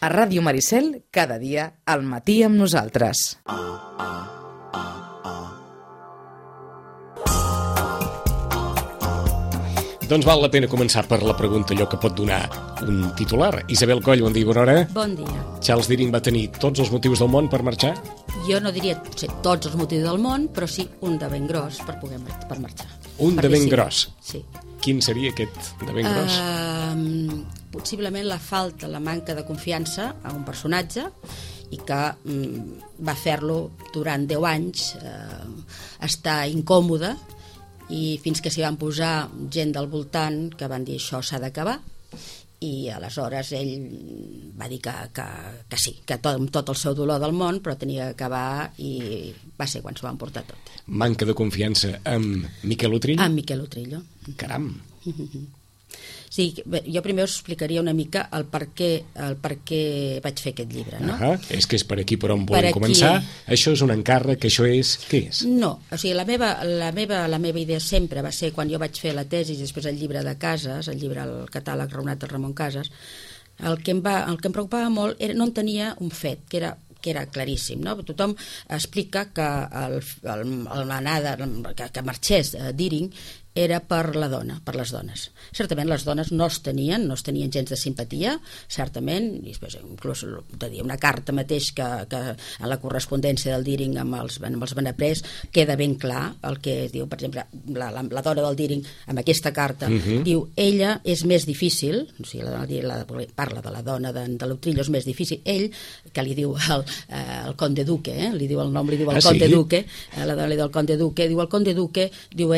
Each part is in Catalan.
A Ràdio Maricel, cada dia, al matí amb nosaltres. Doncs val la pena començar per la pregunta, allò que pot donar un titular. Isabel Coll, bon dia, bona hora. Bon dia. Charles Deering va tenir tots els motius del món per marxar? Jo no diria tots els motius del món, però sí un de ben gros per marxar. Un de ben gros? Sí. Quin seria aquest de ben gros? Possiblement la falta, la manca de confiança a un personatge i que va fer-lo durant 10 anys estar incòmode, i fins que s'hi van posar gent del voltant que van dir això s'ha d'acabar, i aleshores ell va dir que sí, que tot el seu dolor del món, però tenia que acabar, i va ser quan s'ho van portar tot. Manca de confiança amb Miquel Utrillo? Amb Miquel Utrillo. Caram! Sí, jo primer us explicaria una mica el per què vaig fer aquest llibre, no? És que és per aquí per on volem començar. Això és un encàrrec, això és... Què és? No, o sigui, la meva idea sempre va ser, quan jo vaig fer la tesi i després el llibre de Casas, el catàleg raonat del Ramon Casas, el que em preocupava molt era, no entenia un fet, que era claríssim, no? Tothom explica que l'anada que marxés Deering era per la dona, per les dones. Certament les dones no es tenien gens de simpatia, certament, i després inclús una carta mateix que en la correspondència del Deering amb els Benaprés queda ben clar el que diu, per exemple, la dona del Deering amb aquesta carta, diu, ella és més difícil, o sigui, parla de la dona de l'Utrillo, és més difícil, ell, que li diu el Conde Duque, li diu el nom, li diu el Conde Duque, la dona li diu el Conde Duque, diu el Conde Duque, diu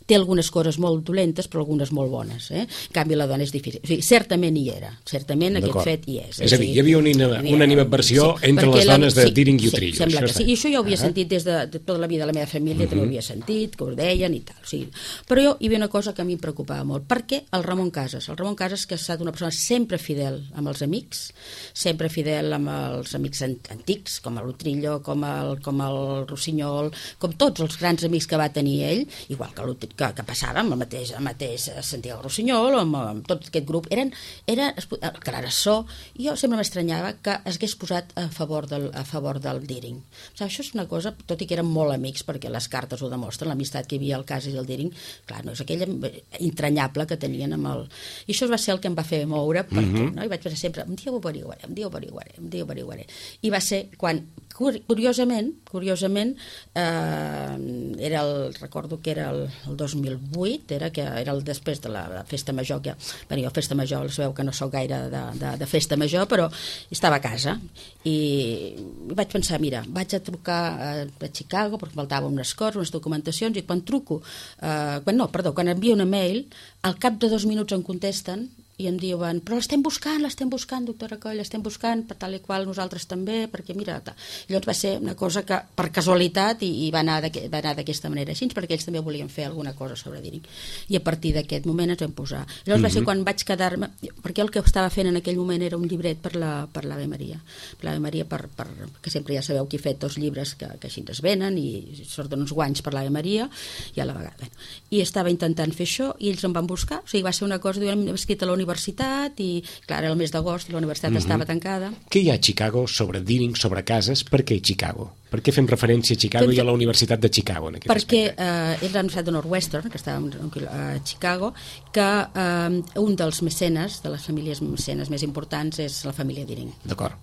té algunes coses molt dolentes però algunes molt bones, en canvi la dona és difícil, o sigui, certament hi era, certament aquest fet hi és. És a dir, hi havia una animadversió entre les dones de Deering i Utrillo. Sembla que sí, i això ja ho havia sentit des de tota la vida, la meva família també ho havia sentit, que ho deien i tal, o sigui, però hi havia una cosa que a mi em preocupava molt, perquè el Ramon Casas, que ha estat una persona sempre fidel amb els amics, sempre fidel amb els amics antics, com l'Utrillo, com el Rossinyol, com tots els grans amics que va tenir ell, igual que passava amb el mateix Santiago Rossinyol, amb tot aquest grup, era Clarasó, i jo sempre m'estranyava que es hagués posat a favor del Deering. Això és una cosa, tot i que eren molt amics, perquè les cartes ho demostren, l'amistat que hi havia al Casas i al Deering, clar, no és aquella entranyable que tenien amb el... I això va ser el que em va fer moure, perquè, no? I vaig pensar sempre, un dia ho averiguaré. I va ser quan, curiosament, recordo que era el 2008, era el després de la festa major, jo festa major, sabeu que no soc gaire de festa major, però estava a casa i vaig pensar, mira, vaig a trucar a Chicago perquè faltaven unes coses, unes documentacions, i quan envio una mail, al cap de 2 minuts em contesten i em diuen, però l'estem buscant, doctora Coll, l'estem buscant, per tal i qual nosaltres també, perquè mira... Llavors va ser una cosa que, per casualitat, i va anar d'aquesta manera així, perquè ells també volien fer alguna cosa sobre Deering. I a partir d'aquest moment ens vam posar. Llavors va ser quan vaig quedar-me... Perquè el que estava fent en aquell moment era un llibret per l'Ave Maria. Per l'Ave Maria, que sempre ja sabeu que he fet 2 llibres que així es venen, i surten uns guanys per l'Ave Maria, i a la vegada. I estava intentant fer això, i ells em van buscar. O sigui, va ser una cosa, hem escrit a la universitat, i clar, era el mes d'agost, la universitat estava tancada. Què hi ha a Chicago sobre Deering, sobre Casas? Per què Chicago? Per què fem referència a Chicago i a la Universitat de Chicago en aquest aspecte? Perquè és la Universitat de Northwestern, que estava a Chicago, que un dels mecenes, de les famílies mecenes més importants, és la família Deering. D'acord.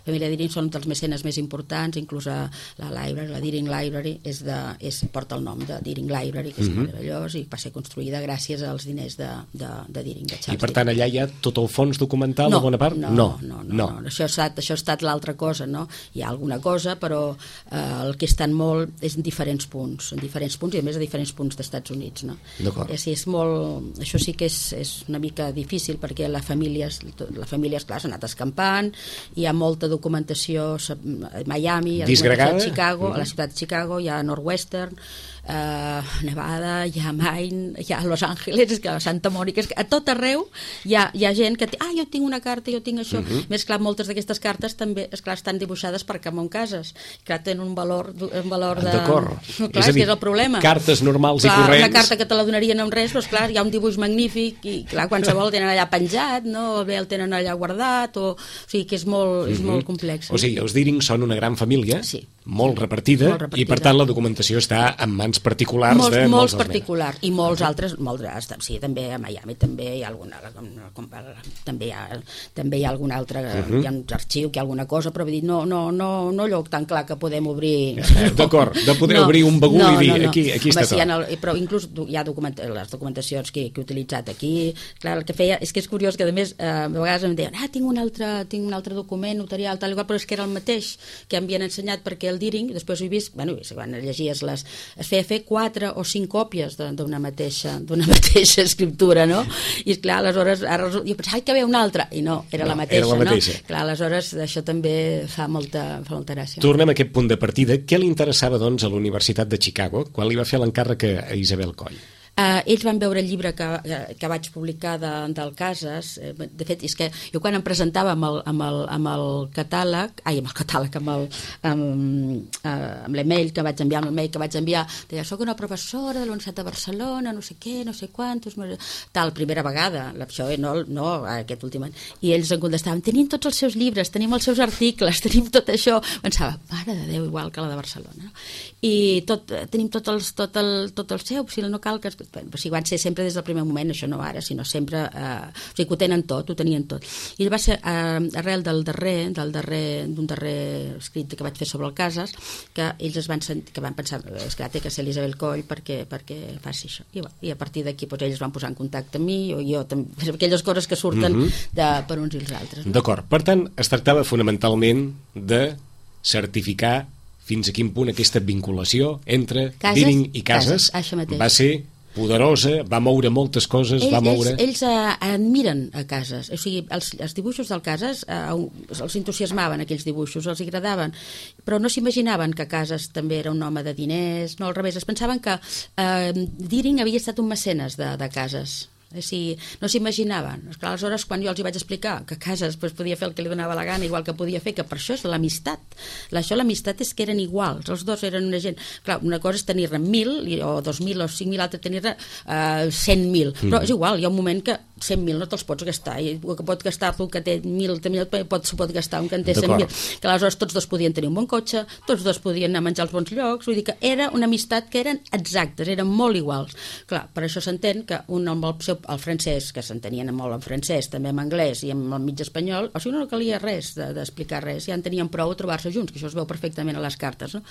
La família Deering són dels mecenes més importants, inclús la Deering Library porta el nom de Deering Library, que és meravellós, i va ser construïda gràcies als diners de Deering, de Charles Deering. I per tant allà hi ha tot el fons documental de bona part? No. Això ha estat l'altra cosa, no? Hi ha alguna cosa, però el que estan molt és en diferents punts, i a més a diferents punts d'Estats Units, no? D'acord. Això sí que és una mica difícil, perquè la família, esclar, s'ha anat escampant, hi ha molta documentació a Miami, a la ciutat de Chicago, hi ha Northwestern, Nevada, hi ha Maine, hi ha Los Angeles, a Santa Mònica, a tot arreu hi ha gent que jo tinc una carta, jo tinc això. Més clar, moltes d'aquestes cartes també, esclar, estan dibuixades per Ramon Casas. Clar, tenen un valor de... D'acord. Clar, és dir, és el problema. Cartes normals clar, i corrents. Una carta que te la donarien amb res, doncs clar, hi ha un dibuix magnífic i clar, qualsevol el tenen allà penjat, no? O bé el tenen allà guardat, o sigui que és molt complex. O sigui, els Deering són una gran família, sí, molt repartida, i per tant la documentació està en mans particulars de molts particulars, i molts altres, sí, també a Miami també hi ha alguna, també hi ha algun altre, hi ha un arxiu, que hi ha alguna cosa, però vull dir, no allò tan clar que podem obrir... D'acord, de poder obrir un bagul i dir, aquí està tot. Però inclús hi ha les documentacions que he utilitzat aquí, clar, el que feia, és que és curiós que a més a vegades em deien, tinc un altre document notarial, tal igual, però és que era el mateix que m'havien ensenyat perquè el Deering, després ho he vist, bueno, quan llegies es feia fer 4 o 5 còpies d'una mateixa escriptura, no? I clar, aleshores, jo pensava que hi havia una altra, i no, era la mateixa, no? Clar, aleshores, això també fa molta gràcia. Tornem a aquest punt de partida. Què li interessava, doncs, a la Universitat de Chicago quan li va fer l'encàrrec a Isabel Coll? Ells van veure el llibre que vaig publicar del Casas. De fet, és que jo quan em presentava amb el catàleg, amb l'email que vaig enviar, deia, soc una professora de la Universitat de Barcelona, no sé què, no sé quantos, tal, primera vegada, això no aquest últim any, i ells em contestaven, tenim tots els seus llibres, tenim els seus articles, tenim tot això. Pensava, mare de Déu, igual que la de Barcelona, i tenim tot el seu, si no cal que... O sigui, van ser sempre des del primer moment, això no ara, sinó sempre, o sigui, que ho tenen tot, ho tenien tot. I va ser arrel d'un darrer escrit que vaig fer sobre el Casas, que ells van pensar, és clar, té que ser l'Isabel Coll perquè faci això. I a partir d'aquí ells van posar en contacte amb mi, o jo també, aquelles coses que surten per uns i els altres. No? D'acord, per tant, es tractava fonamentalment de certificar fins a quin punt aquesta vinculació entre Deering i Casas va ser poderosa, va moure moltes coses, Ells admiren a Casas, o sigui, els dibuixos del Casas els entusiasmaven, aquells dibuixos, els agradaven, però no s'imaginaven que Casas també era un home de diners, no, al revés, es pensaven que Deering havia estat un mecenes de Casas. No s'imaginaven. Aleshores, quan jo els hi vaig explicar que Casas podia fer el que li donava la gana, igual que podia fer, que per això és l'amistat. L'amistat és que eren iguals, els dos eren una gent... Clar, una cosa és tenir-ne 1.000 o 2.000 o 5.000, l'altra tenir-ne 100.000, però és igual, hi ha un moment que 100.000 no te'ls pots gastar, i el que pot gastar-te un que té 1.000 s'ho pot gastar un que en té 100.000, que aleshores tots dos podien tenir un bon cotxe, tots dos podien anar a menjar als bons llocs, vull dir que era una amistat que eren exactes, eren molt iguals. Clar, per això s'entén que un amb el francès, que s'entenien molt en francès, també en anglès i amb el mig espanyol, o sigui, no calia res d'explicar res, ja en tenien prou a trobar-se junts, que això es veu perfectament a les cartes, no?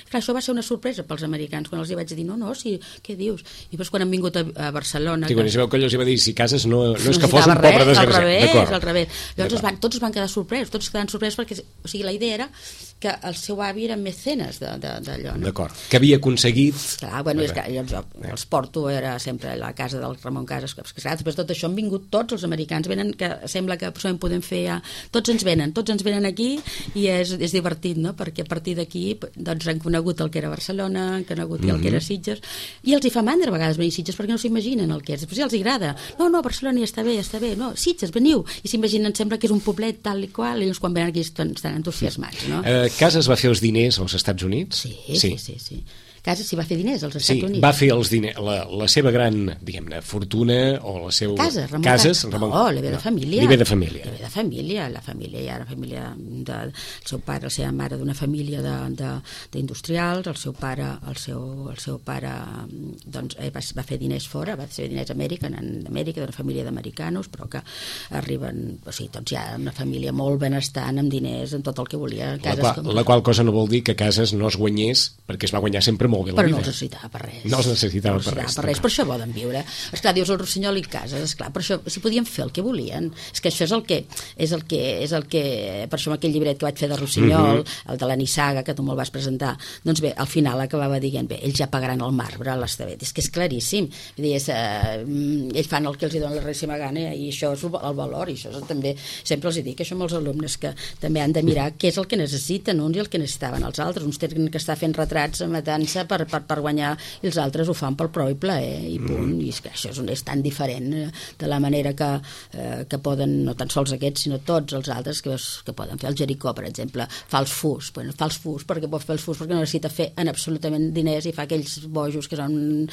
Clar, això va ser una sorpresa pels americans, quan els hi vaig dir, no, sí, què dius? I després quan han vingut a Barcelona... Sí, quan es veu que els va dir, si Casas no és que fos un pobre desgraciat. Al revés. Llavors tots es van quedar sorpresos, perquè, o sigui, la idea era que el seu avi era mecenes d'allò, no? D'acord, que havia aconseguit... Clar, bueno, és que jo els porto, era sempre a la casa del Ramon Casas, que clar, després de tot això han vingut tots els americans, venen, que sembla que això en podem fer ja... Tots ens venen aquí i és divertit, no? Perquè a partir d'aquí doncs han conegut el que era Barcelona, han conegut el que era Sitges, i els hi fa mandra a vegades venir a Sitges perquè no s'imaginen el que és, després ja els agrada. No, Barcelona ja està bé, no, Sitges, veniu, i s'imaginen, sembla que és un poblet tal i qual, i ells quan venen aquí estan entusiasmats, no? Casas va fer els diners als Estats Units? Sí. Casas s'hi va fer diners als Estats Units. Sí, va fer els diners, la seva gran, diguem-ne, fortuna o la seva... Ramon. No, li ve de família. Li ve de família. La família ja era família el seu pare, la seva mare d'una família d'industrials, el seu pare doncs va fer diners fora, va fer diners a Amèrica, d'una família d'americans, però que arriben, o sigui, doncs ja una família molt benestant, amb diners, amb tot el que volia. La qual cosa no vol dir que Casas no es guanyés, perquè es va guanyar sempre molt bé la vida. Però no els necessitava per res. No els necessitava per res. Per això poden viure. Esclar, dius el Rossinyol i Casas, esclar, per això, si podien fer el que volien. És que això és el que per això amb aquell llibret que vaig fer de Rossinyol, el de la Nissaga, que tu me'l vas presentar, doncs bé, al final acabava dient, bé, ells ja pagaran el marbre a l'Estavet. És que és claríssim. Vull dir, ells fan el que els dona la rèssima gana i això és el valor, i això també, sempre els dic, això amb els alumnes, que també han de mirar què és el que necessiten uns i el que necessitaven els altres. Uns tenen que estar fent retrats, matant-se, per guanyar, i els altres ho fan pel prou i plaer, i punt. I és que això és tan diferent de la manera que poden, no tan sols aquests, sinó tots els altres que poden fer. El Jericó, per exemple, fa els fus. Fa els fus perquè pot fer els fus perquè no necessita fer en absolutament diners, i fa aquells bojos que són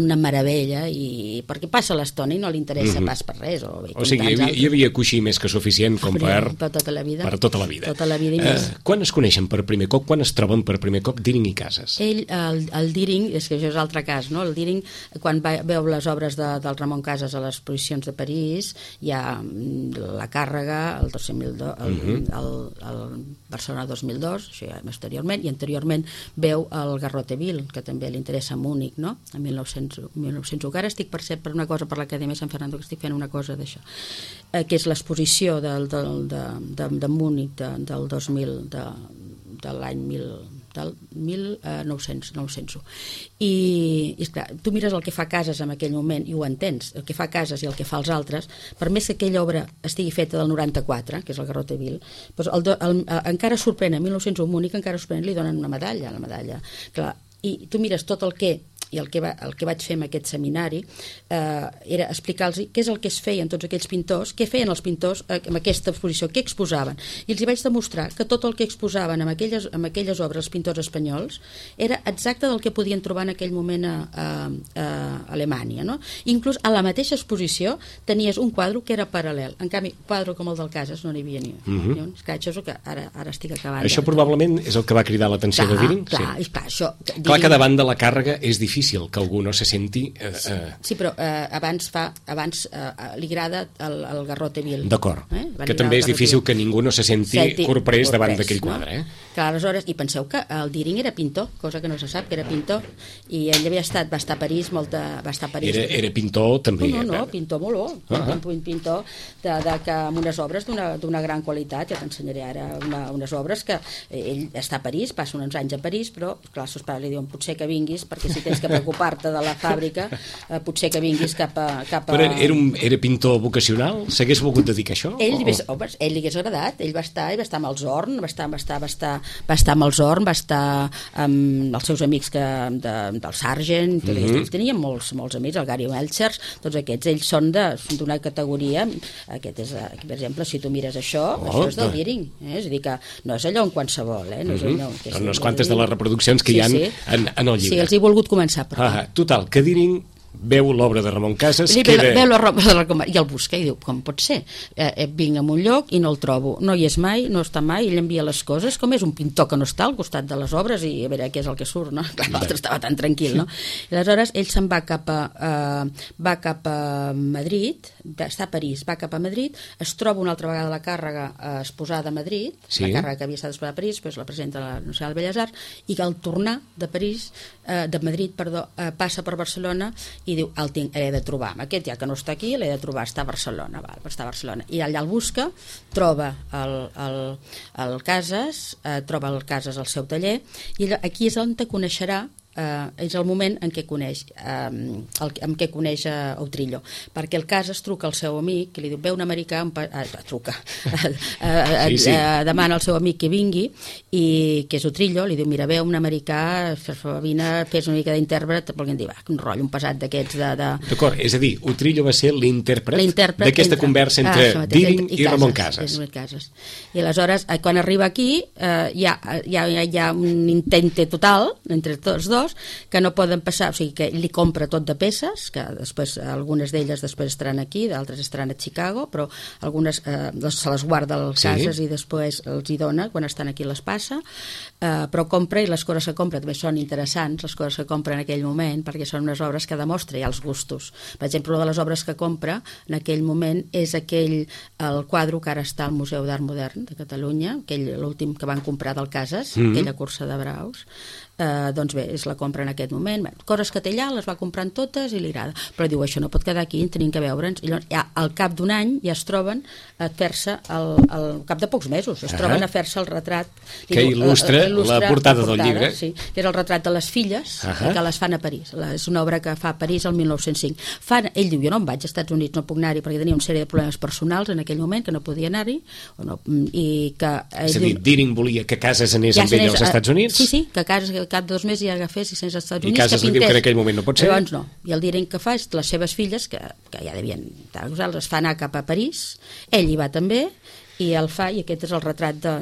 una meravella, i perquè passa l'estona i no li interessa pas per res. O sigui, hi havia coixí més que suficient com per tota la vida. Per tota la vida. Tota la vida i més. Quan es coneixen per primer cop, quan es troben per primer cop Deering i Casas? El Deering, és que això és altre cas, no? El Deering, quan veu les obres del Ramon Casas a les exposicions de París, hi ha La Càrrega, el 2002, el Barcelona 2002, això ja posteriorment, i anteriorment veu el Garroteville, que també li interessa a Múnich, no? En 1901. Ara estic per una cosa per l'Acadèmia Sant Fernando, que estic fent una cosa d'això, que és l'exposició de Múnich del 2000, de l'any 1901. I esclar, tu mires el que fa Casas en aquell moment i ho entens, el que fa Casas i el que fa els altres, per més que aquella obra estigui feta del 94, que és el Garroteville, doncs encara sorprèn, en 1901 Múnich encara sorprèn, li donen una medalla, clar, i tu mires tot el que vaig fer en aquest seminari era explicar-los què és el que es feia en tots aquells pintors, què feien els pintors en aquesta exposició, què exposaven, i els hi vaig demostrar que tot el que exposaven en aquelles obres els pintors espanyols era exacte del que podien trobar en aquell moment a Alemanya, no? Inclús a la mateixa exposició tenies un quadre que era paral·lel, en canvi quadre com el del Casas no n'hi havia ni un. Això és el que ara estic acabant. Això probablement és el que va cridar l'atenció de Deering? Clar que davant de la càrrega és difícil que algú no se senti... Sí, però abans li agrada el Garroteville. D'acord, que també és difícil que ningú no se senti corprès davant d'aquell quadre. Clar, aleshores, i penseu que el Deering era pintor, cosa que no se sap, que era pintor, i ell va estar a París, Era pintor també? No, pintor molt pintor amb unes obres d'una gran qualitat. Ja t'ensenyaré ara unes obres que ell està a París, passa uns anys a París, però clar, els seus pares li diuen potser que vinguis, perquè si tens que preocupar-te de la fàbrica, potser que vinguis cap a... Però era pintor vocacional? S'hagués volgut dedicar a això? Ell li hagués agradat, ell va estar amb els Horn, va estar amb els Horn, va estar amb els seus amics del Sargent, ells tenien molts amics, el Gary Melchers, tots aquests, ells són d'una categoria, aquest és, per exemple, si tu mires això és del Deering, és a dir que no és allò en qualsevol, no és allò... Són unes quantes de les reproduccions que hi ha en el llibre. Sí, els he volgut començar per aquí. Total, que Deering veu l'obra de Ramon Casas, veu l'obra i el busca i diu, com pot ser? Vinc a un lloc i no el trobo, no hi és mai, no està mai, ell envia les coses, com és un pintor que no està al costat de les obres i a veure què és el que surt, no? L'altre estava tan tranquil, no? I aleshores ell se'n va cap a Madrid, està a París, va cap a Madrid, es troba una altra vegada la càrrega exposada a Madrid, la càrrega que havia estat exposada a París, després la presenta a la Nacional de Belles Arts, i que al tornar de Madrid, passa per Barcelona i diu, l'he de trobar, aquest ja que no està aquí l'he de trobar, està a Barcelona, i allà el busca, troba el Casas, troba el Casas al seu taller, i aquí és on te coneixerà, és el moment en què coneix Outrillo, perquè el Casas truca al seu amic, que li diu, ve un americà, demana al seu amic que vingui, i que és Outrillo, li diu, mira, ve un americà, vine, fes una mica d'intèrpret, volguem dir, un rotllo, un pesat d'aquests D'acord, és a dir, Outrillo va ser l'intèrpret d'aquesta conversa entre Deering i Ramon Casas. I aleshores, quan arriba aquí, hi ha un intente total entre tots dos, que no poden passar, o sigui que li compra tot de peces, que després algunes d'elles després estaran aquí, d'altres estaran a Chicago, però algunes se les guarda als Casas i després els hi dona, quan estan aquí les passa, però compra, i les coses que compra també són interessants, les coses que compra en aquell moment, perquè són unes obres que demostra ja els gustos. Per exemple, una de les obres que compra en aquell moment és el quadre que ara està al Museu d'Art Modern de Catalunya, l'últim que van comprar del Casas, aquella cursa de braus, doncs bé, és la compra en aquest moment, coses que té allà, les va comprant totes i li agrada, però diu, això no pot quedar aquí, tenim que veure'ns, i llavors ja al cap d'un any ja es troben a fer-se al cap de pocs mesos es troben a fer-se el retrat que il·lustra la portada del llibre, que és el retrat de les filles que les fan a París, és una obra que fa a París el 1905. Ell diu, jo no em vaig als Estats Units, no puc anar-hi perquè tenia una sèrie de problemes personals en aquell moment que no podia anar-hi, i que... És a dir, Deering volia que Casas anés amb ell als Estats Units? Sí, que Casas cap de 2 mesos ja agafés i sense Estats Units I Casas li diu que en aquell moment no pot ser? Llavors no, i el Deering que fa és les seves filles, que ja devien es fa anar cap a París, ell hi va també, i el fa, i aquest és el retrat de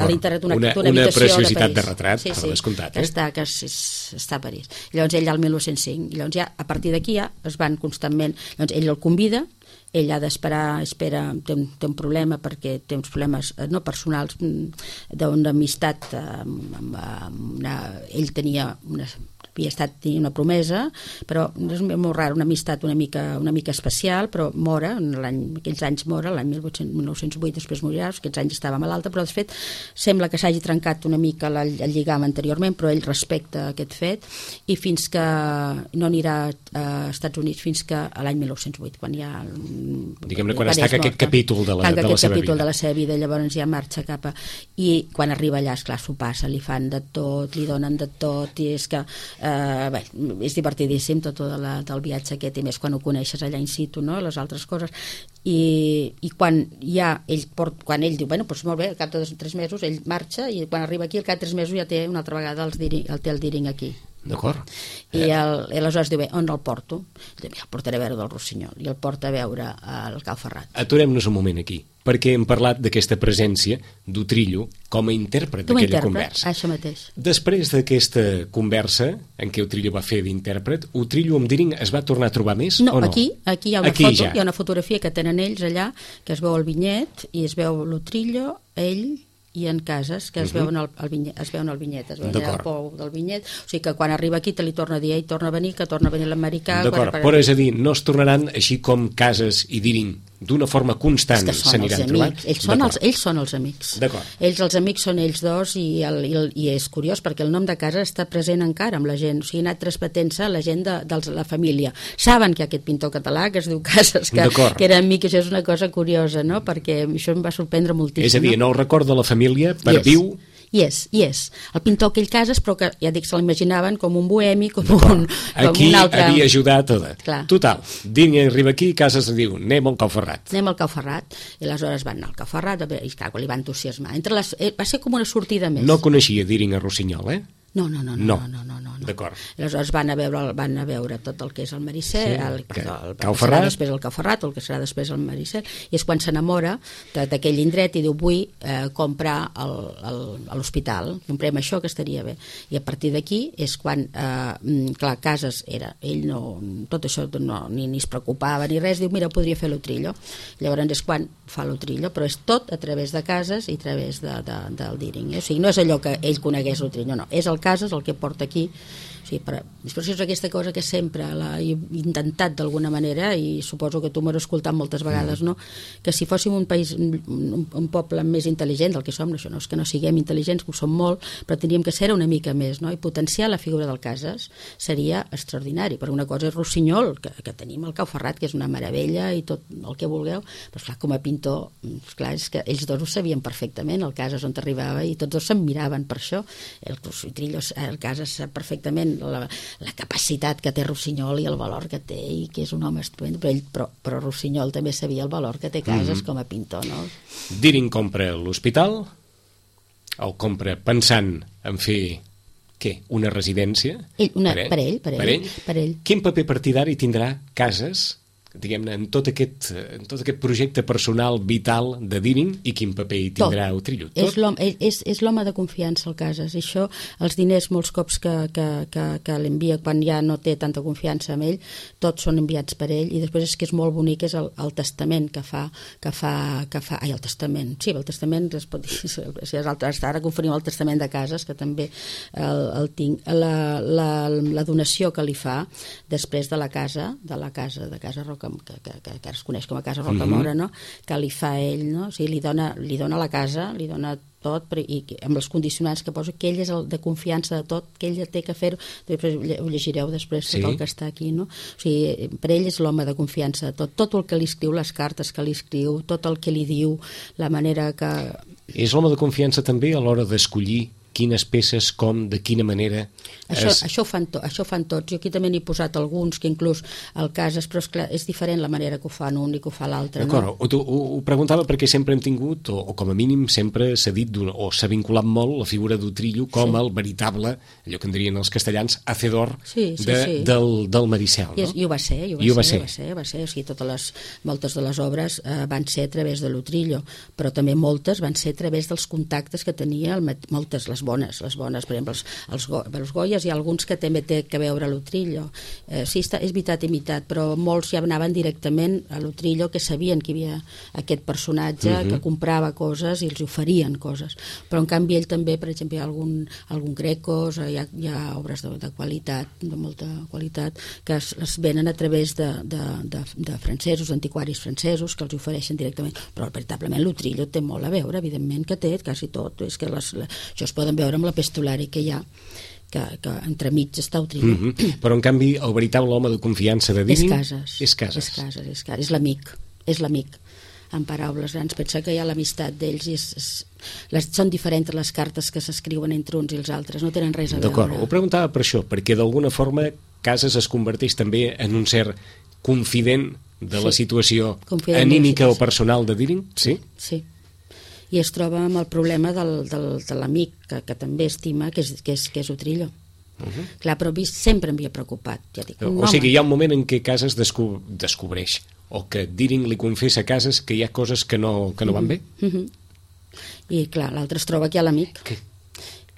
l'internet, una preciositat de retrat, per descomptat. Que està a París. Llavors ell al 1905, i llavors ja a partir d'aquí ja es van constantment, llavors ell el convida, ell ha d'esperar, té un problema perquè té uns problemes no personals, d'una amistat ell tenia havia una promesa, però és molt rar, una amistat una mica especial, però mora, aquells anys mora, l'any 1908 després morirà, aquests anys estava malalta, però de fet sembla que s'hagi trencat una mica el lligam anteriorment, però ell respecta aquest fet, i fins que no anirà a Estats Units fins que a l'any 1908, quan ja diguem-ne, quan es tanca aquest capítol de la seva vida, llavors ja marxa cap a... I quan arriba allà, esclar, s'ho passa, li fan de tot, li donen de tot, i és que és divertidíssim tot del viatge aquest, i més quan ho coneixes allà in situ, no? Les altres coses, i quan ell diu, bueno, doncs molt bé, al cap de 3 mesos ell marxa, i quan arriba aquí al cap de 3 mesos ja té una altra vegada el Deering aquí. D'acord. I aleshores diu, bé, on el porto? El portaré a veure del Rossinyol, i el porta a veure el Cal Ferrat. Aturem-nos un moment aquí, perquè hem parlat d'aquesta presència d'Utrillo com a intèrpret d'aquella conversa. Això mateix. Després d'aquesta conversa en què Utrillo va fer d'intèrpret, Utrillo amb Deering es va tornar a trobar més o no? Aquí hi ha una foto, hi ha una fotografia que tenen ells allà, que es veu el vinyet, i es veu l'Utrillo, ell i en Casas, que es veuen el vinyet, es veuen el pou del vinyet, o sigui que quan arriba aquí te li torna a dir, ell torna a venir l'americà. D'acord, però és a dir, no es tornaran així com Casas i Deering d'una forma constant s'aniran trobant? Ells són els amics. D'acord. Els amics són ells dos, i és curiós perquè el nom de Casas està present encara amb la gent, o sigui, ha anat transmetent-se la gent de la família. Saben que aquest pintor català que es diu Casas, que era amic, això és una cosa curiosa, no? Perquè això em va sorprendre moltíssim. És a dir, no el record de la família perviu... I és. El pintor aquell Casas, però que ja dic, se l'imaginaven com un bohemi, com un aquí altre... havia ajudat total, Deering arriba aquí i Casas diu, anem al Cau Ferrat, i aleshores van anar al Cau Ferrat, i clar, li va entusiasmar. Va ser com una sortida més. No coneixia Deering a Rossinyol, No. D'acord. Aleshores van a veure tot el que és el Maricel, el Cau Ferrat, després el Cau Ferrat, el que serà després el Maricel, i és quan s'enamora d'aquell indret i diu, vull comprar l'hospital, comprem això que estaria bé. I a partir d'aquí és quan, clar, Casas era, ell no, tot això ni es preocupava ni res, diu, mira, podria fer l'Utrillo. Llavors és quan fa l'Utrillo, però és tot a través de Casas i a través del Deering. O sigui, no és allò que ell conegués l'Utrillo, no, és el Casas el que porta aquí. Sí, però és aquesta cosa que sempre he intentat d'alguna manera, i suposo que tu m'ho has escoltat moltes vegades, no? Que si fóssim un país, un poble més intel·ligent del que som, això no és que no siguem intel·ligents, que ho som molt, però tindríem que ser una mica més, no? I potenciar la figura del Casas seria extraordinari, perquè una cosa és Rossinyol, que tenim el Cau Ferrat, que és una meravella i tot el que vulgueu, però esclar, com a pintor, esclar, és que ells dos ho sabien perfectament, el Casas on arribava, i tots dos se'n miraven per això. El Casas sap perfectament la capacitat que té Rossinyol i el valor que té, i que és un home estupend, però Rossinyol també sabia el valor que té Casas com a pintor, no? Deering compra l'hospital, el compra pensant en fer una residència? Per ell. Quin paper partidari tindrà Casas, diguem-ne, en tot aquest projecte personal vital de Deering, i quin paper hi tindrà Utrillo? És l'home de confiança, el Casas, i això, els diners molts cops que l'envia quan ja no té tanta confiança en ell, tots són enviats per ell, i després és que és molt bonic, és el testament que fa el testament, sí, el testament es pot dir, ara conferim el testament de Casas, que també el tinc, la donació que li fa després de la casa Roca, que es coneix com a Casa Rocamora, no? Que li fa ell, no? O sigui, li dona la casa, li dona tot, i amb els condicionants que posa, que ell és el de confiança de tot, que ell té que fer-ho, ho llegireu després, tot el que està aquí, no? O sigui, per ell és l'home de confiança de tot el que li escriu, les cartes que li escriu, tot el que li diu, la manera que... És l'home de confiança també a l'hora d'escollir quines peces, com, de quina manera... Això ho fan tots. Jo aquí també n'he posat alguns, que inclús el Casas, però esclar, és diferent la manera que ho fan un i que ho fa l'altre. D'acord, no? Ho preguntava perquè sempre hem tingut, o com a mínim sempre s'ha dit, o s'ha vinculat molt la figura d'Utrillo com el veritable, allò que en dirien els castellans, hacedor del Maricel. No? I ho va ser. O sigui, moltes de les obres van ser a través de l'Utrillo, però també moltes van ser a través dels contactes que tenia, moltes, les bones, per exemple, els Goyes, hi ha alguns que també té que veure l'Utrillo. Sí, és veritat i veritat, però molts ja anaven directament a l'Utrillo, que sabien que hi havia aquest personatge que comprava coses i els oferien coses. Però en canvi ell també, per exemple, hi ha algun Grecos, hi ha obres de qualitat, de molta qualitat, que es venen a través de francesos, antiquaris francesos, que els ofereixen directament. Però veritablement l'Utrillo té molt a veure, evidentment que té, quasi tot. És que això es poden veure amb l'epistolari que hi ha, que entremig està Utrillo. Però en canvi el veritable home de confiança de Dining és Casas. És l'amic, en paraules grans. Pensa que hi ha l'amistat d'ells i són diferents les cartes que s'escriuen entre uns i els altres, no tenen res a veure. D'acord, ho preguntava per això, perquè d'alguna forma Casas es converteix també en un cert confident de la situació anímica o personal de Dining? Sí. I es troba amb el problema de l'amic que també estima, que és Utrillo. Clar, però sempre m'havia preocupat. Ja dic, o sigui, hi ha un moment en què Casas descobreix, o que Dining li confessa a Casas que hi ha coses que no van bé? I clar, l'altre es troba que hi ha l'amic.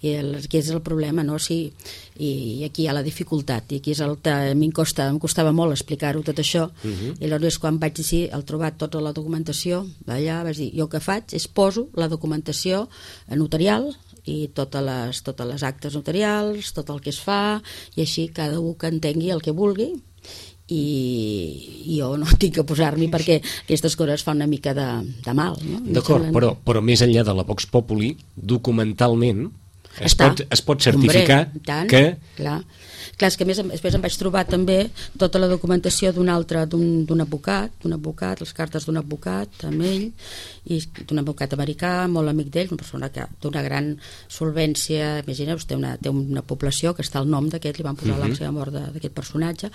I aquí és el problema, no? Sí, i aquí hi ha la dificultat, i aquí és el que em costava molt explicar-ho tot això, i aleshores quan vaig dir, al trobar tota la documentació d'allà, vaig dir, jo el que faig és poso la documentació notarial i totes les actes notarials, tot el que es fa, i així cada un que entengui el que vulgui, i jo no tinc que posar-m'hi perquè aquestes coses fan una mica de mal, no? D'acord, però més enllà de la Vox Populi, documentalment es pot certificar que... Clar, és que després em vaig trobar també tota la documentació d'un advocat, les cartes d'un advocat amb ell, i d'un advocat americà, molt amic d'ell, una persona d'una gran solvència, imagineu-vos, té una població que està al nom d'aquest, li van posar la seva mort d'aquest personatge,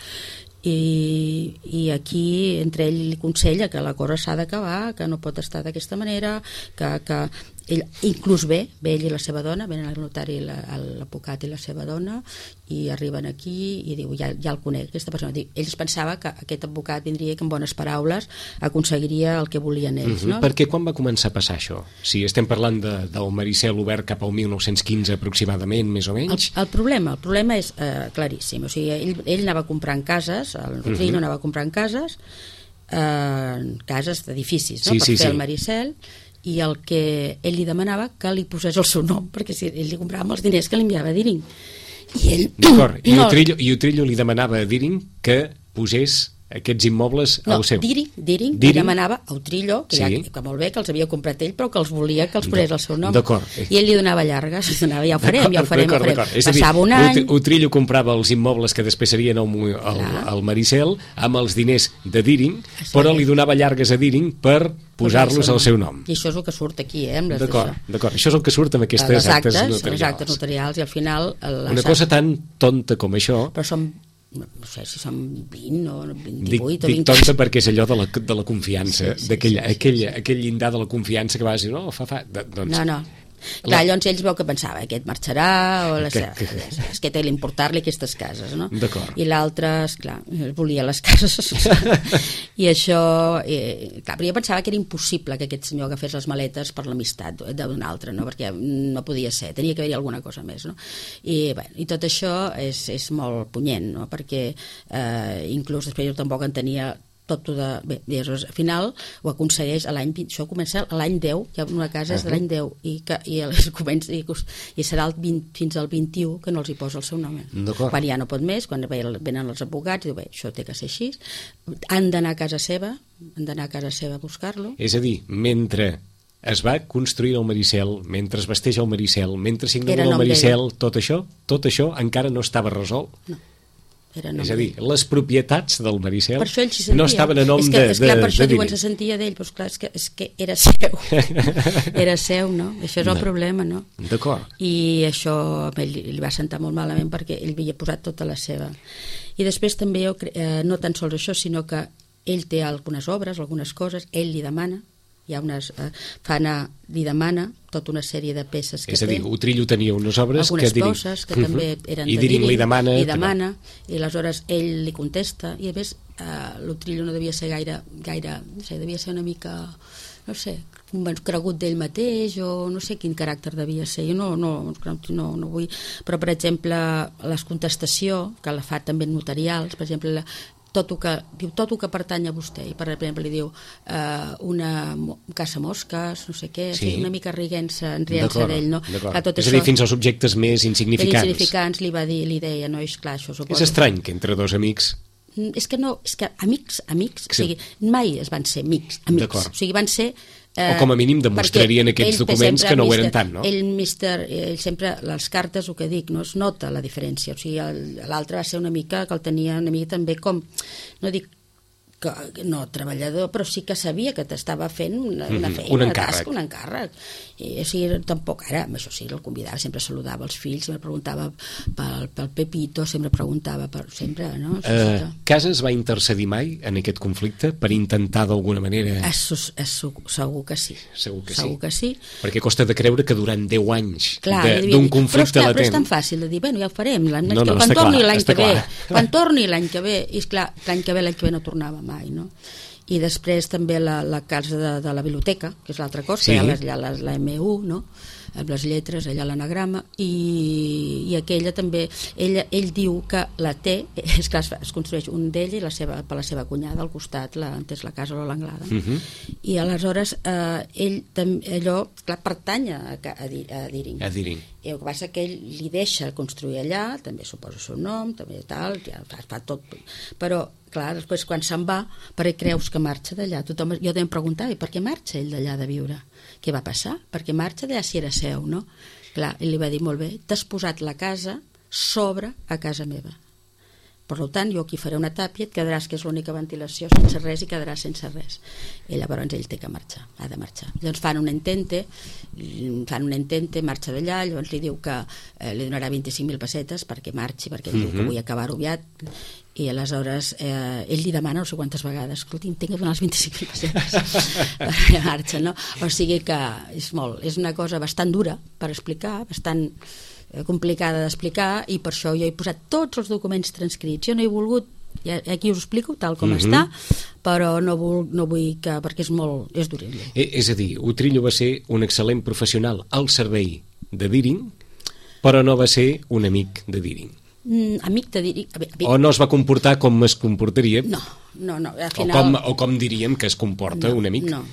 i aquí entre ell li aconsella que la cosa s'ha d'acabar, que no pot estar d'aquesta manera, que ell inclús ve ell i la seva dona, venen al notari l'advocat i la seva dona, i arriben aquí i diu, ja el conec aquesta persona. Ells pensaven que aquest advocat vindria i que amb bones paraules aconseguiria el que volien ells, no? Perquè quan va començar a passar això? Si estem parlant del Maricel obert cap al 1915 aproximadament, més o menys. El problema és claríssim, o sigui, ell anava comprant cases, el Utrillo anava comprant cases d'edificis, no? Per fer el Maricel, i el que ell li demanava que li posés el seu nom, perquè si ell li comprava els diners que li enviava a Dining. D'acord, i Utrillo li demanava a Dining que posés aquests immobles al seu... Diring li demanava a Utrillo, que molt bé, que els havia comprat ell, però que els volia que els posés el seu nom. I ell li donava llargues, ja ho farem. Passava un any... Utrillo comprava els immobles que després serien al Maricel amb els diners de Diring, però li donava llargues a Diring per posar-los al seu nom. I això és el que surt aquí, D'acord, això és el que surt amb aquestes actes notarials. Les actes notarials, i al final... Una cosa tan tonta com això... Però són, no sé si són 20 o 28 o 20... Dic tonta perquè és allò de la confiança, aquell llindar de la confiança que vas dir, no, doncs... No. Clar, llavors ells veu que pensava, aquest marxarà, o és que té l'importar-li aquestes cases, no? I l'altre, esclar, volia les cases. I això... Clar, però jo pensava que era impossible que aquest senyor agafés les maletes per l'amistat d'un altre, no? Perquè no podia ser, tenia que haver-hi alguna cosa més, no? I tot això és molt punyent, no? Perquè inclús després jo tampoc entenia tot de... Bé, al final ho aconsegueix a l'any... Això comença a l'any 10, hi ha una casa és de l'any 10, i serà fins al 21 que no els hi posa el seu nom. Quan ja no pot més, quan venen els advocats, diu, bé, això té que ser així, han d'anar a casa seva a buscar-lo. És a dir, mentre es va construir el Maricel, mentre es vesteix el Maricel, mentre s'inaugura el Maricel, tot això encara no estava resolt? No. És a dir, les propietats del Maricel sentia. No estaven a nom de per això diuen, se sentia d'ell, doncs clar, és que era seu. Era seu, no? Això és el problema, no? D'acord. I això a ell li va sentar molt malament perquè ell havia posat tota la seva. I després també, no tan sols això, sinó que ell té algunes obres, algunes coses, ell li demana, hi ha unes, li demana tota una sèrie de peces que té. És a dir, Utrillo tenia unes obres algunes coses que també eren de Diding li demana, i aleshores ell li contesta, i a més l'Utrillo no devia ser gaire, no sé, devia ser una mica, no sé, cregut d'ell mateix, o no sé quin caràcter devia ser. Jo no vull, però per exemple les contestació que la fa també notarials, per exemple tot el que pertany a vostè, i per exemple li diu una caça mosques, no sé què, sí. Una mica rient-se d'ell, no? És a dir, fins als objectes més insignificants. Li deia, no, és clar, això suposo. És estrany que entre dos amics... És que amics, sí. O sigui, mai es van ser amics. O sigui, van ser... o com a mínim demostrarien aquests documents que no ho eren tant, no? Ell sempre, les cartes, el que dic, no es nota la diferència. O sigui, l'altre va ser una mica que el tenia una mica també com, no dic que no treballador, però sí que sabia que t'estava fent una feina, un encàrrec. Un encàrrec. I així tampoc ara, amb això sí, el convidava, sempre saludava els fills, sempre preguntava pel Pepito, sempre preguntava sempre, no? Casas va intercedir mai en aquest conflicte per intentar d'alguna manera... Segur que sí. Segur que sí. Perquè costa de creure que durant 10 anys d'un conflicte latent... Però és tan fàcil de dir, bueno, ja ho farem, quan torni l'any que ve, i esclar, l'any que ve no tornava mai, no? I després també la casa de la biblioteca, que és l'altra cosa, sí. La MU, no? Amb les lletres, allà l'anagrama, i aquella també, ell diu que la té, és clar, es construeix un d'ell i per la seva cunyada al costat, és la casa o l'Anglada. I aleshores ell allò, clar, pertany a Diding. I el que passa que ell li deixa construir allà, també suposa el seu nom, també tal, ja fa tot, però clar, després quan se'n va, per què creus que marxa d'allà? Jo també em preguntava, per què marxa ell d'allà de viure? Què va passar? Per què marxa d'allà si era seu, no? Clar, ell li va dir, molt bé, t'has posat la casa sobre a casa meva. Per tant, jo aquí faré una tàpia, et quedaràs, que és l'única ventilació, sense res, i quedaràs sense res. I llavors ell té que marxar, ha de marxar. Llavors fan un intente, marxa d'allà, llavors li diu que li donarà 25.000 pessetes perquè marxi, perquè ell diu que vull acabar aviat, i aleshores ell li demana no sé quantes vegades, escolti, tinc que donar les 25.000 pessetes perquè marxa, no? O sigui que és una cosa bastant dura per explicar, bastant complicada d'explicar, i per això jo he posat tots els documents transcrits. Jo no he volgut, aquí us explico tal com està, però no vull que, perquè és duríssim. És a dir, Utrillo va ser un excel·lent professional al servei de Diding, però no va ser un amic de Diding. Amic de Diding. O no es va comportar com es comportaria? No, al final... O com diríem que es comporta un amic? No,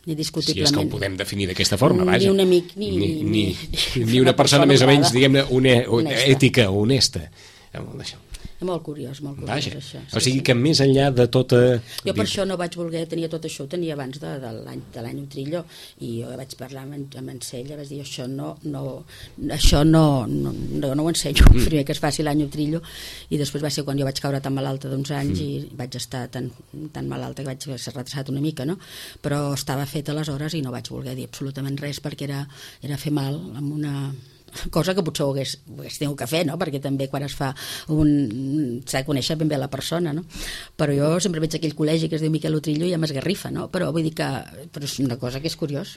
ni discutiblement. Si és que ho podem definir d'aquesta forma, vaja. Ni un amic, ni una persona més o menys, diguem-ne, ètica o honesta. D'això. És molt curiós vaja. Això. O sigui que més enllà de tota... Jo per això no vaig voler tenir tot això, ho tenia abans de l'any Utrillo, i jo vaig parlar amb en Sella, vaig dir, això no ho ensenyo, primer que es faci l'any Utrillo, i després va ser quan jo vaig caure tan malalta d'uns anys i vaig estar tan malalta que vaig ser retrasat una mica, no? Però estava fet aleshores i no vaig voler dir absolutament res perquè era fer mal amb una... cosa que potser ho hagués tingut que fer, no? Perquè també quan es fa s'ha de conèixer ben bé la persona, no? Però jo sempre veig aquell col·legi que es diu Miquel Utrillo i ja m'esgarrifa, no? Però vull dir que és una cosa que és curiós,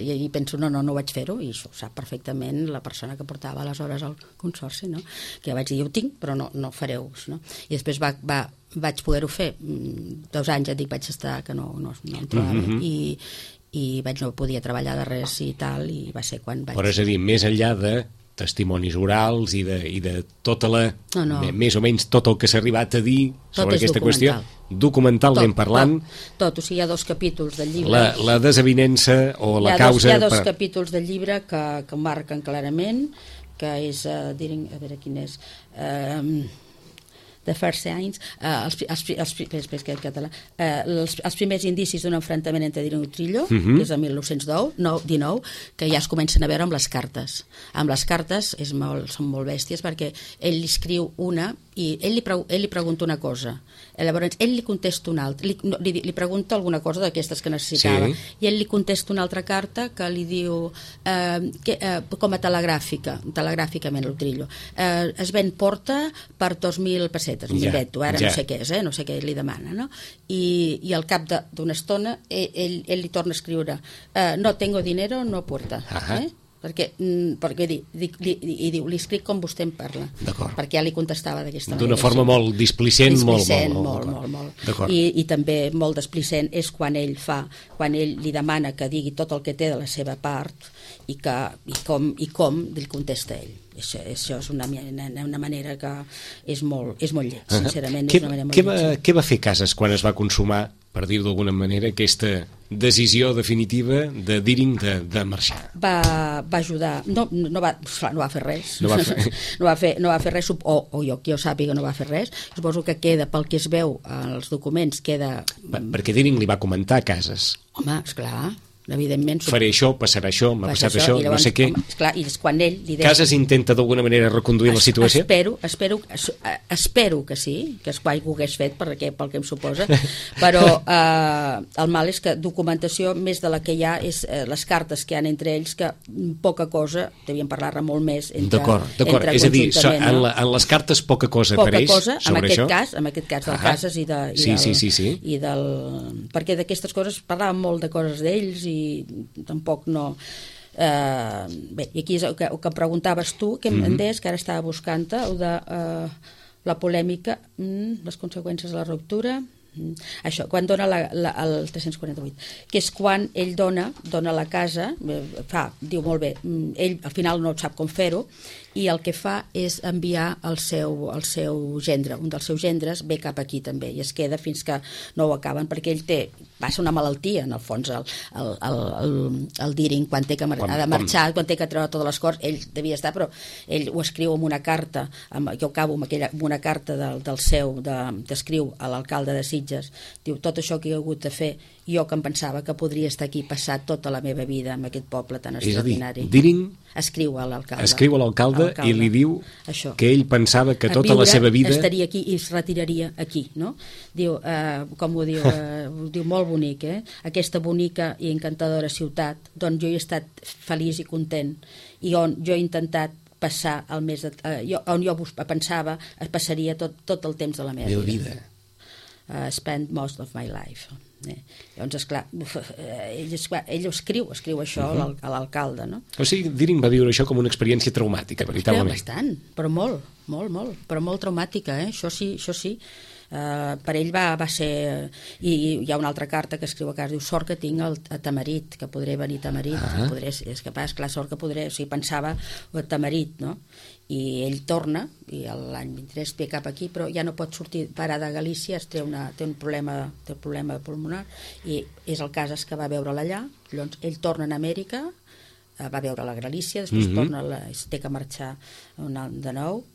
i penso, no vaig fer-ho, i això ho sap perfectament la persona que portava aleshores el consorci, no? Que ja vaig dir, ho tinc, però no fareu, no? I després vaig poder-ho fer 2 anys, ja dic, vaig estar que no em trobava, i no podia treballar de res i tal, i va ser quan vaig... Però és a dir, més enllà de testimonis orals i de tota la... més o menys tot el que s'ha arribat a dir sobre aquesta qüestió, documentalment parlant... Tot, o sigui, hi ha 2 capítols del llibre... La desavinença o la causa... Hi ha 2 capítols del llibre que marquen clarament, que és... a veure quin és... The First Signs, els primers indicis d'un enfrontament entre Deering i Utrillo, que és el 1919, que ja es comencen a veure amb les cartes. Amb les cartes són molt bèsties, perquè ell li escriu una i ell li pregunta una cosa, llavors ell li contesta una altra, li pregunta alguna cosa d'aquestes que necessitava, i ell li contesta una altra carta que li diu com a telegràficament l'Utrillo, es ven porta per 2.000 pessetes, m'invento, ara no sé què és, no sé què li demana, no? I al cap d'una estona ell li torna a escriure no tengo dinero, no porta, perquè diu, li escric com vostè em parla, perquè ja li contestava d'aquesta manera. D'una forma molt displicent, molt. I també molt displicent és quan ell li demana que digui tot el que té de la seva part i com li contesta ell. Això és una manera que és molt lleig, sincerament. Què va fer Casas quan es va consumar, per dir-ho d'alguna manera, aquesta decisió definitiva de Deering de marxar? Va ajudar, no va fer res, no va fer res, o jo sàpiga no va fer res. Suposo que queda, pel que es veu als documents, queda... Perquè Deering li va comentar a Casas. Home, esclar, evidentment... Faré això, passarà això, m'ha passat això, no sé què. Esclar, i és quan ell li deia... Casas intenta d'alguna manera reconduir la situació? Espero que sí, que ho hagués fet, pel que em suposa, però el mal és que documentació, més de la que hi ha, és les cartes que hi ha entre ells, que poca cosa, devien parlar-ne molt més d'acord, és a dir, en les cartes poca cosa apareix sobre això? En aquest cas del Casas i del... Perquè d'aquestes coses parlàvem molt de coses d'ells i tampoc no... Bé, i aquí és el que preguntaves tu, que em deies, que ara estava buscant-te, o de la polèmica, les conseqüències de la ruptura, això, quan dona el 348, que és quan ell dona la casa, diu molt bé, ell al final no sap com fer-ho, i el que fa és enviar el seu gendre, un dels seus gendres ve cap aquí també, i es queda fins que no ho acaben, perquè ell passa una malaltia, en el fons, el Deering, quan ha de marxar, quan té que treure totes les coses, ell devia estar, però ell ho escriu en una carta, jo acabo amb una carta d'escriu a l'alcalde de Sitges, diu, tot això que he hagut de fer, jo que em pensava que podria estar aquí passar tota la meva vida en aquest poble tan extraordinari. És a dir, Deering escriu a l'alcalde i li diu això, que ell pensava que tota la seva vida... estaria aquí i es retiraria aquí, no? Diu, com ho diu, diu molt bonic, aquesta bonica i encantadora ciutat, d'on jo he estat feliç i content, i on jo he intentat passar el més... on jo pensava passaria tot el temps de la meva vida. Spend most of my life. Llavors, esclar, ell escriu això a l'alcalde, no? O sigui, Deering va viure això com una experiència traumàtica, veritablement. Bastant, però molt, però molt traumàtica, això sí. Per ell va ser... I hi ha una altra carta que escriu a casa, diu, sort que tinc a Tamarit, que podré venir a Tamarit, és capaç, clar, sort que podré, o sigui, pensava a Tamarit, no? I ell torna, i l'any 23 ve cap aquí, però ja no pot sortir parar de Galícia, té un problema pulmonar, i és el Casas que va veure-la allà, llavors ell torna a Amèrica, va veure la Galícia, després torna, té que marxar de nou,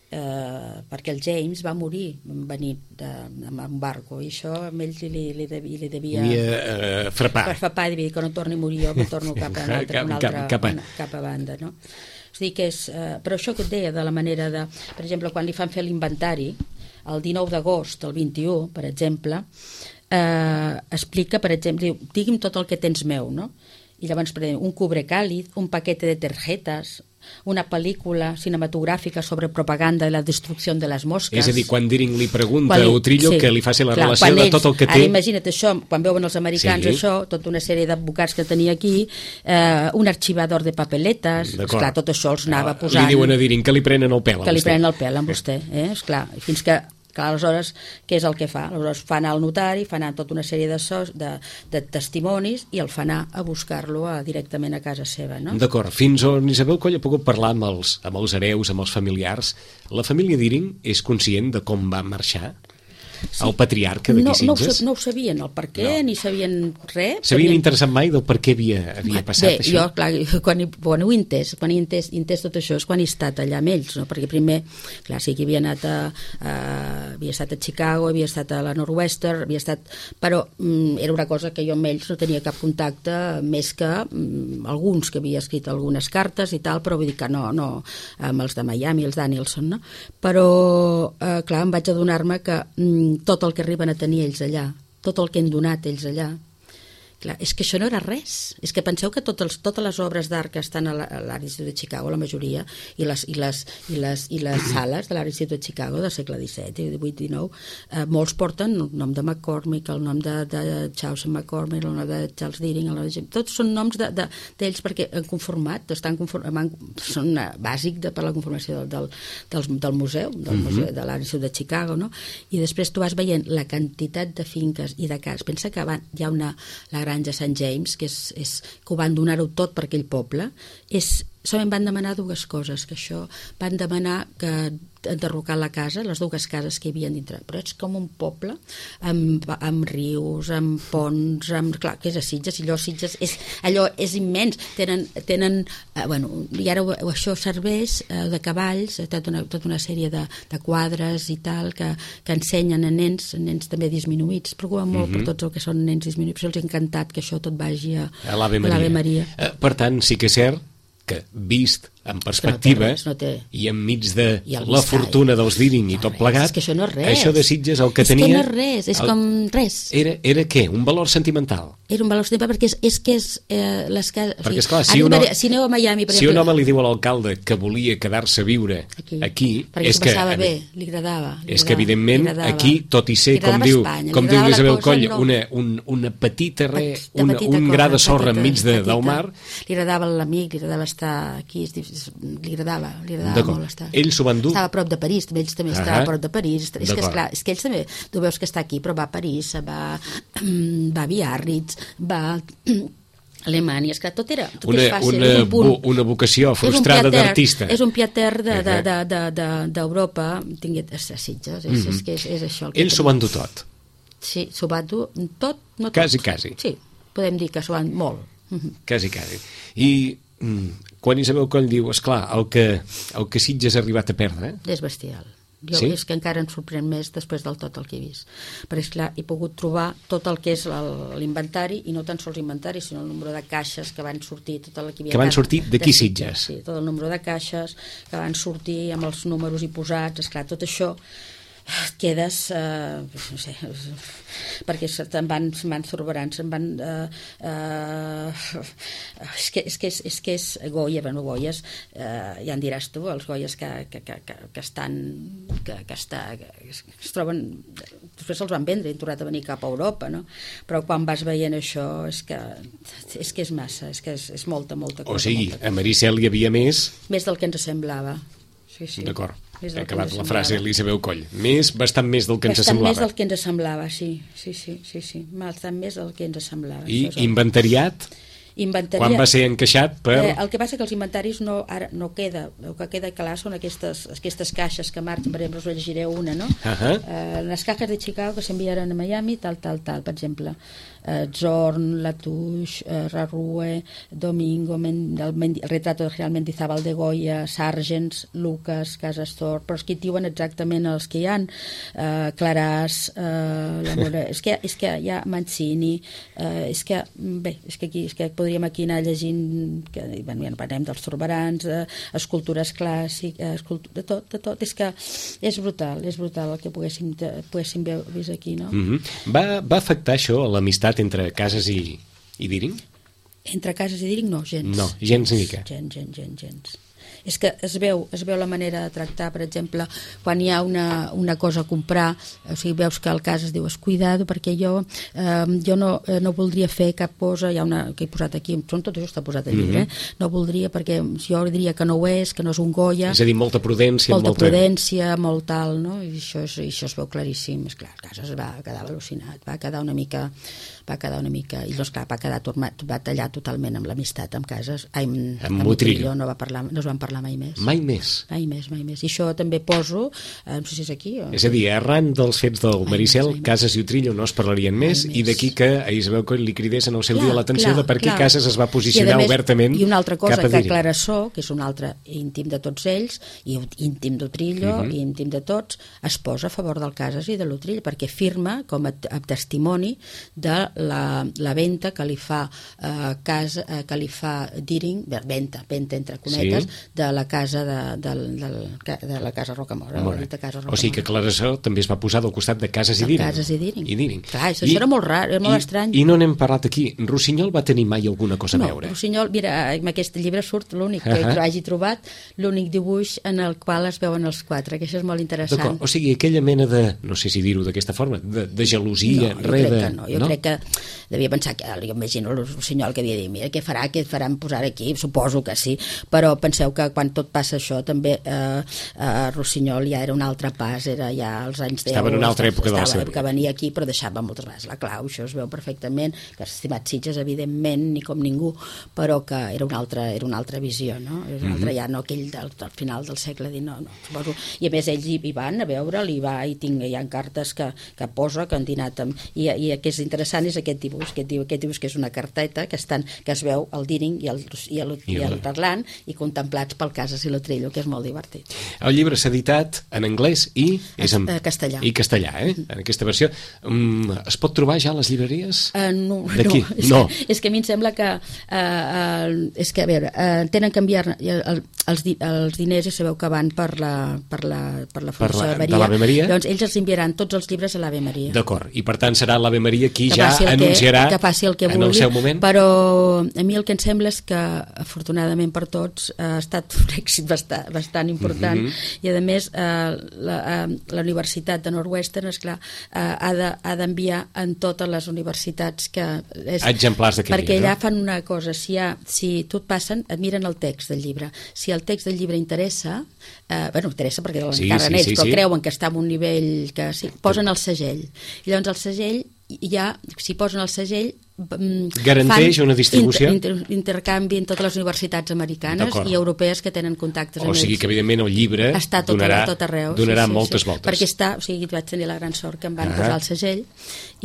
perquè el James va morir venint amb un barco, i això a ell li devia frapar, i dir que no torni a morir jo, que torno cap a banda, no? És dir, que és, però això que et deia de la manera de, per exemple, quan li fan fer l'inventari el 19 d'agost, el 21, per exemple, explica, per exemple, diu, digui'm tot el que tens meu, no? I llavors, per exemple, un cubre càlid, un paquete de tarjetes, una pel·lícula cinematogràfica sobre propaganda de la destrucció de les mosques. És a dir, quan Deering li pregunta a Utrillo que li faci la relació de tot el que té... Ara imagina't això, quan veuen els americans això, tota una sèrie d'advocats que tenia aquí, un arxivador de papeletes, esclar, tot això els anava posant... Li diuen a Deering que li prenen el pèl a vostè. Que li prenen el pèl a vostè, esclar, fins que... Clar, aleshores, què és el que fa? Aleshores fa anar al notari, fa anar tota una sèrie de testimonis i el fa anar a buscar-lo directament a casa seva, no? D'acord. Fins on Isabel Coll ha pogut parlar amb els hereus, amb els familiars, la família Deering és conscient de com va marxar? el patriarca d'aquí Sitges? No ho sabien el per què, ni sabien res. S'havien interessat mai del per què havia passat això? Jo, clar, quan ho he entès tot això és quan he estat allà amb ells, no? Perquè primer, clar, sí que havia estat a Chicago, havia estat a la Northwestern, però era una cosa que jo amb ells no tenia cap contacte, més que alguns que havia escrit algunes cartes i tal, però vull dir que no amb els de Miami, els Danielson, no? Però, clar, em vaig adonar-me que tot el que arriben a tenir ells allà, tot el que han donat ells allà, clar, és que això no era res. És que penseu que totes les obres d'art que estan a l'Art Institute de Chicago, la majoria, i les sales de l'Art Institute de Chicago del segle XVII, XVIII, XIX, molts porten el nom de McCormick, el nom de Chaucer McCormick, el nom de Charles Deering, tots són noms d'ells perquè han conformat, són bàsic per la conformació del museu, museu de l'Art Institute de Chicago, no? I després tu vas veient la quantitat de finques i de cases. Pensa que hi ha la granja St. James, que ho van donar-ho tot per aquell poble. Solament van demanar dues coses, que això van demanar que enderrocar la casa, les dues cases que hi havia dintre, però és com un poble amb rius, amb ponts, clar, que és a Sitges, i allò és immens, tenen i ara això serveix de cavalls, tota una sèrie de quadres i tal, que ensenyen a nens també disminuïts, preocupen molt per tots el que són nens disminuïts, els ha encantat que això tot vagi a l'Ave Maria. Per tant, sí que és cert que vist en perspectiva i enmig de la fortuna dels Deering i tot plegat, això de Sitges el que tenia... És que no és res, és com res. Era què? Un valor sentimental? Era un valor sentimental perquè és que és les cases... Perquè, esclar, si aneu a Miami, per exemple... Si un home li diu a l'alcalde que volia quedar-se a viure aquí... Perquè s'ho passava bé, li agradava. És que, evidentment, aquí, tot i ser, com diu l'Isabel Coll, una petita un gra de sorra enmig del mar... Li agradava l'amic, li agradava estar aquí, li agradava molt estar. Ells s'ho van dur. Estava a prop de París, ells també estaven a prop de París. És que, esclar, és que ells també, tu veus que està aquí, però va a París, va a Biarritz, va a Alemanya, és que tot és fàcil. Una vocació frustrada d'artista. És un piater d'Europa, tinguet a Sitges, és que és això. Ells s'ho van dur tot. Sí, s'ho van dur tot, no tot. Quasi. Sí, podem dir que s'ho van molt. Quasi. I quan Isabel Coll diu, esclar, el que Sitges ha arribat a perdre... És bestial. És que encara em sorprèn més després del tot el que he vist. Perquè, esclar, he pogut trobar tot el que és l'inventari, i no tan sols l'inventari, sinó el número de caixes que van sortir, tot el que hi havia... Que van sortir d'aquí Sitges. Sí, tot el número de caixes que van sortir amb els números hi posats, esclar, tot això quedes no sé, perquè se'n van sorberant, se'n van és que és Goya, Goyes, ja en diràs tu, els Goyes que es troben, després se'ls van vendre i han tornat a venir cap a Europa, no? Però quan vas veient això és que és massa, és que és molta cosa. O sigui, a Maricel hi havia més del que ens semblava. Sí. D'acord. He acabat la frase l'Isabel Coll. Bastant més del que ens Bastant semblava. més del que ens semblava, sí. Bastant més del que ens semblava. I inventariat? Quan va ser encaixat per... El que passa que els inventaris ara no queda. El que queda clar són aquestes caixes que marxen, per exemple, us llegiré una, no? Les caixes de Chicago que s'enviaran a Miami, tal, per exemple. Zorn, Latouche, Rarue, Domingo, el retrato de Real Mendizábal de Goya, Sargents, Lucas, Casastor, però és que diuen exactament els que hi ha, Claràs, és que hi ha Mancini, és que podríem aquí anar llegint, ja parlem dels Zurbarans, escultures clàssiques, de tot, és que és brutal el que poguéssim vist aquí, no? Va afectar això a l'amistat entre Casas i Deering? Entre Casas i Deering no, gens. No, gens ni mica. Gens. És que es veu la manera de tractar, per exemple, quan hi ha una cosa a comprar, o sigui, veus que el Casas diu, cuidado, perquè jo no voldria fer cap cosa, hi ha una que he posat aquí, tot això està posat al llibre, no voldria, perquè jo diria que no ho és, que no és un Goya. És a dir, molta prudència. Molt tal, no? I això es veu claríssim. Esclar, Casas va quedar al·lucinat, va quedar una mica i doncs clar, va tallar totalment amb l'amistat amb Casas, amb Montrillo, no es van vam parlar mai més. Mai més? Mai més. I això també poso, no sé si és aquí... És a dir, arran dels fets del Maricel, Casas i Utrillo no es parlarien més, i d'aquí que a Isabel Coll li cridés en el seu dia l'atenció de per què Casas es va posicionar obertament cap a Deering. I una altra cosa, que Clarasó, que és un altre íntim de tots ells, i íntim d'Utrillo, i íntim de tots, es posa a favor del Casas i de l'Utrillo, perquè firma com a testimoni de la venda que li fa Deering, venta entre cometes, de la casa de la casa Rocamora. O sigui que Clarasó també es va posar del costat de Casas i Deering. Clar, això era molt rar, era molt estrany. I no n'hem parlat aquí. Rossinyol va tenir mai alguna cosa a veure? No, Rossinyol, mira, en aquest llibre surt l'únic que hagi trobat, l'únic dibuix en el qual es veuen els quatre, que això és molt interessant. D'acord, o sigui, aquella mena de, no sé si dir-ho d'aquesta forma, de gelosia, jo crec que devia pensar que, jo imagino el Rossinyol que havia dit, mira, què faran posar aquí? Suposo que sí, però penseu que quan tot passa això també Rossinyol ja era un altre pas, era ja als anys 10. Estava en una altra època de la seva vida. Que venia aquí però deixava moltes vegades la clau, això es veu perfectament, que estimat Sitges evidentment ni com ningú, però que era una altra visió, no? Era una altra, ja no aquell del final del segle XIX, no, suposo. I a més ells hi van a veure'l, hi ha cartes que posa, que han dinat amb... I el que és interessant és aquest dibuix, que és una carteta que es veu el Deering i el parlant i contemplats pel Casas i l'Utrillo, que és molt divertit. El llibre s'ha editat en anglès i castellà. I castellà, en aquesta versió. Es pot trobar ja a les llibreries? No. És que a mi em sembla que és que, a veure, tenen que enviar els diners, i sabeu que van per la Fundació d'Ave Maria. Llavors ells els enviaran tots els llibres a l'Ave Maria. D'acord, i per tant serà l'Ave Maria qui ja anunciarà en el seu moment? Però a mi el que em sembla és que afortunadament per tots ha estat un èxit bastant important, i a més la Universitat de Northwestern, esclar, ha d'enviar en totes les universitats exemplars d'aquest llibre, perquè allà fan una cosa, si tu et passen, et miren el text del llibre, si el text del llibre interessa, interessa perquè l'encarren ells, però creuen que està en un nivell que posen el segell, i llavors el segell ja, si posen el segell, garanteix una distribució, intercanvi en totes les universitats americanes i europees que tenen contactes amb ells. O sigui que evidentment el llibre està tot arreu, donarà moltes voltes, perquè està, o sigui, vaig tenir la gran sort que em van posar el segell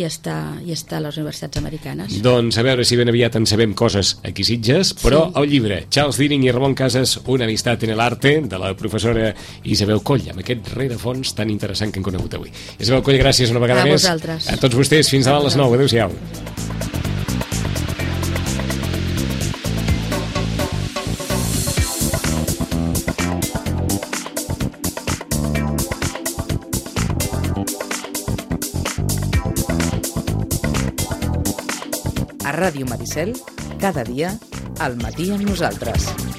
i està a les universitats americanes. Doncs a veure si ben aviat en sabem coses aquí Sitges, però el llibre Charles Deering i Ramon Casas, una amistat en el arte, de la professora Isabel Coll, amb aquest rerefons tan interessant que hem conegut avui. Isabel Coll, gràcies una vegada més a tots vostès, fins demà a les 9, adéu-siau. A Ràdio Maricel, cada dia, al matí amb nosaltres.